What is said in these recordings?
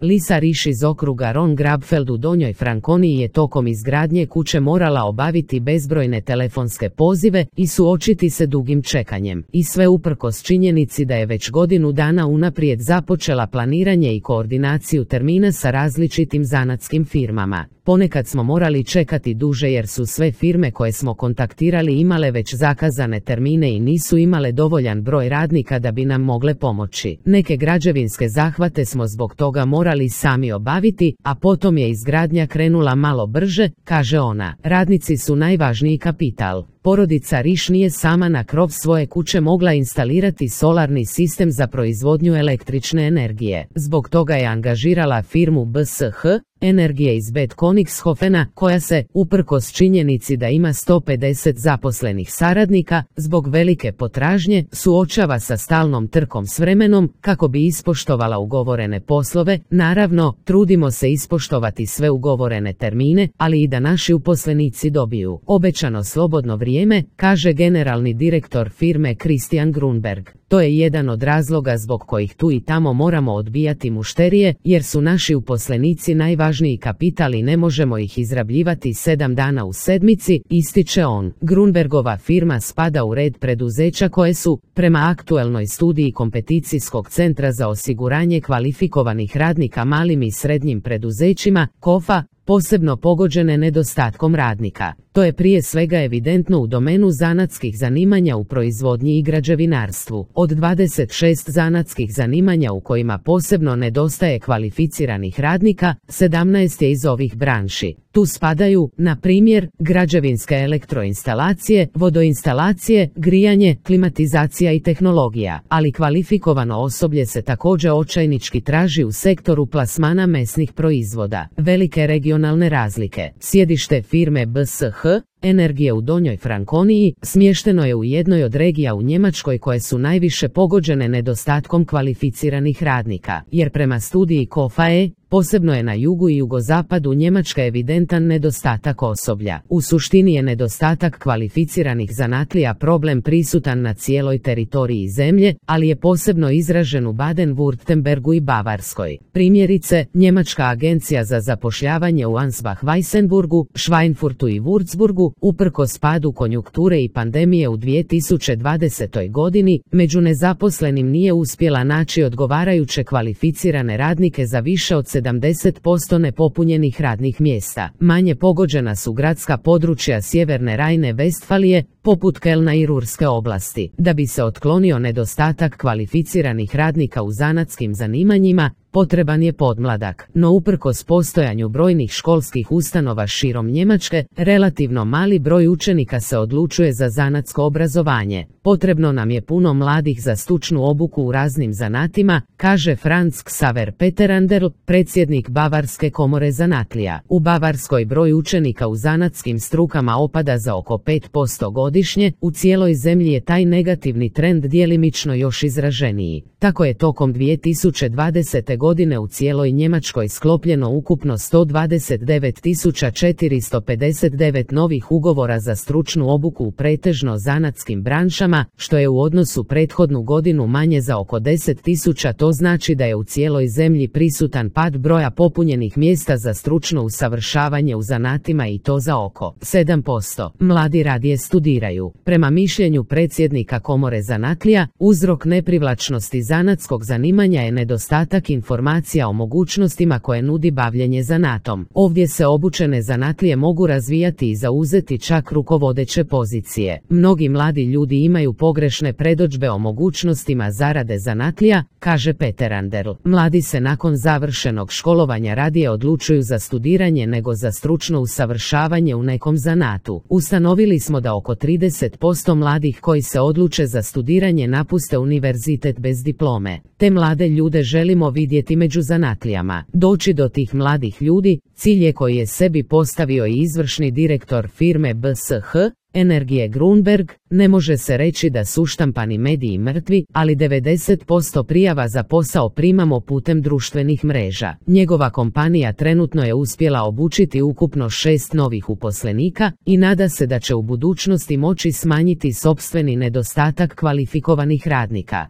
Lisa Riš iz okruga Ron Grabfeld u Donjoj Frankoniji je tokom izgradnje kuće morala obaviti bezbrojne telefonske pozive i suočiti se dugim čekanjem. I sve uprkos činjenici da je već godinu dana unaprijed započela planiranje i koordinaciju termina sa različitim zanatskim firmama. Ponekad smo morali čekati duže jer su sve firme koje smo kontaktirali imale već zakazane termine i nisu imale dovoljan broj radnika da bi nam mogle pomoći. Neke građevinske zahvate smo zbog toga morali sami obaviti, a potom je izgradnja krenula malo brže, kaže ona. Radnici su najvažniji kapital. Porodica Riš nije sama na krov svoje kuće mogla instalirati solarni sistem za proizvodnju električne energije. Zbog toga je angažirala firmu BSH Energije iz Bad Königshofena, koja se, uprkos činjenici da ima 150 zaposlenih saradnika, zbog velike potražnje, suočava sa stalnom trkom s vremenom kako bi ispoštovala ugovorene poslove. Naravno, trudimo se ispoštovati sve ugovorene termine, ali i da naši uposlenici dobiju obećano slobodno vrijeme, kaže generalni direktor firme Christian Grunberg. To je jedan od razloga zbog kojih tu i tamo moramo odbijati mušterije, jer su naši uposlenici najvažniji kapital i ne možemo ih izrabljivati 7 dana u sedmici, ističe on. Grunbergova firma spada u red preduzeća koje su, prema aktuelnoj studiji Kompeticijskog centra za osiguranje kvalifikovanih radnika malim i srednjim preduzećima, KOFA, posebno pogođene nedostatkom radnika. To je prije svega evidentno u domenu zanatskih zanimanja u proizvodnji i građevinarstvu. Od 26 zanatskih zanimanja u kojima posebno nedostaje kvalificiranih radnika, 17 je iz ovih branši. Tu spadaju, na primjer, građevinske elektroinstalacije, vodoinstalacije, grijanje, klimatizacija i tehnologija, ali kvalifikovano osoblje se također očajnički traži u sektoru plasmana mesnih proizvoda. Velike regionalne razlike. Sjedište firme BSH Energije u Donjoj Frankoniji smješteno je u jednoj od regija u Njemačkoj koje su najviše pogođene nedostatkom kvalificiranih radnika, jer prema studiji KOFA-e, posebno je na jugu i jugozapadu Njemačka evidentan nedostatak osoblja. U suštini je nedostatak kvalificiranih zanatlija problem prisutan na cijeloj teritoriji zemlje, ali je posebno izražen u Baden-Württembergu i Bavarskoj. Primjerice, Njemačka agencija za zapošljavanje u Ansbach-Weissenburgu, Schweinfurtu i Würzburgu, uprkos padu konjunkture i pandemije u 2020. godini, među nezaposlenim nije uspjela naći odgovarajuće kvalificirane radnike za više od 70% nepopunjenih radnih mjesta. Manje pogođena su gradska područja sjeverne Rajne-Vestfalije, poput Kelna i Rurske oblasti. Da bi se otklonio nedostatak kvalificiranih radnika u zanatskim zanimanjima, potreban je podmladak, no uprkos postojanju brojnih školskih ustanova širom Njemačke, relativno mali broj učenika se odlučuje za zanatsko obrazovanje. Potrebno nam je puno mladih za stručnu obuku u raznim zanatima, kaže Franz Xaver Peterander, predsjednik Bavarske komore zanatlija. U Bavarskoj broj učenika u zanatskim strukama opada za oko 5% godišnje, u cijeloj zemlji je taj negativni trend djelimično još izraženiji. Tako je tokom 2020. godine u cijeloj Njemačkoj sklopljeno ukupno 129.459 novih ugovora za stručnu obuku u pretežno zanatskim branšama, što je u odnosu prethodnu godinu manje za oko 10.000. To znači da je u cijeloj zemlji prisutan pad broja popunjenih mjesta za stručno usavršavanje u zanatima i to za oko 7%. Mladi radije studiraju. Prema mišljenju predsjednika komore zanatlija, uzrok neprivlačnosti zanatskog zanimanja je nedostatak informacija o mogućnostima koje nudi bavljenje zanatom. Ovdje se obučene zanatlije mogu razvijati i zauzeti čak rukovodeće pozicije. Mnogi mladi ljudi imaju pogrešne predodžbe o mogućnostima zarade zanatlija, kaže Peterander. Mladi se nakon završenog školovanja radije odlučuju za studiranje nego za stručno usavršavanje u nekom zanatu. Ustanovili smo da oko 30% mladih koji se odluče za studiranje napuste univerzitet bez diplome. Te mlade ljude želimo vidjeti među zanatlijama. Doći do tih mladih ljudi, cilj je koji je sebi postavio i izvršni direktor firme BSH Energije Grunberg. Ne može se reći da su štampani mediji mrtvi, ali 90% prijava za posao primamo putem društvenih mreža. Njegova kompanija trenutno je uspjela obučiti ukupno 6 novih uposlenika i nada se da će u budućnosti moći smanjiti sopstveni nedostatak kvalifikovanih radnika.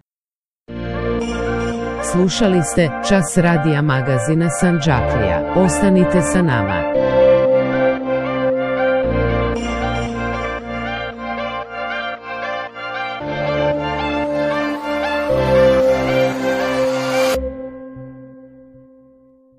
Slušali ste Čas radija magazina Sandžaklija. Ostanite sa nama.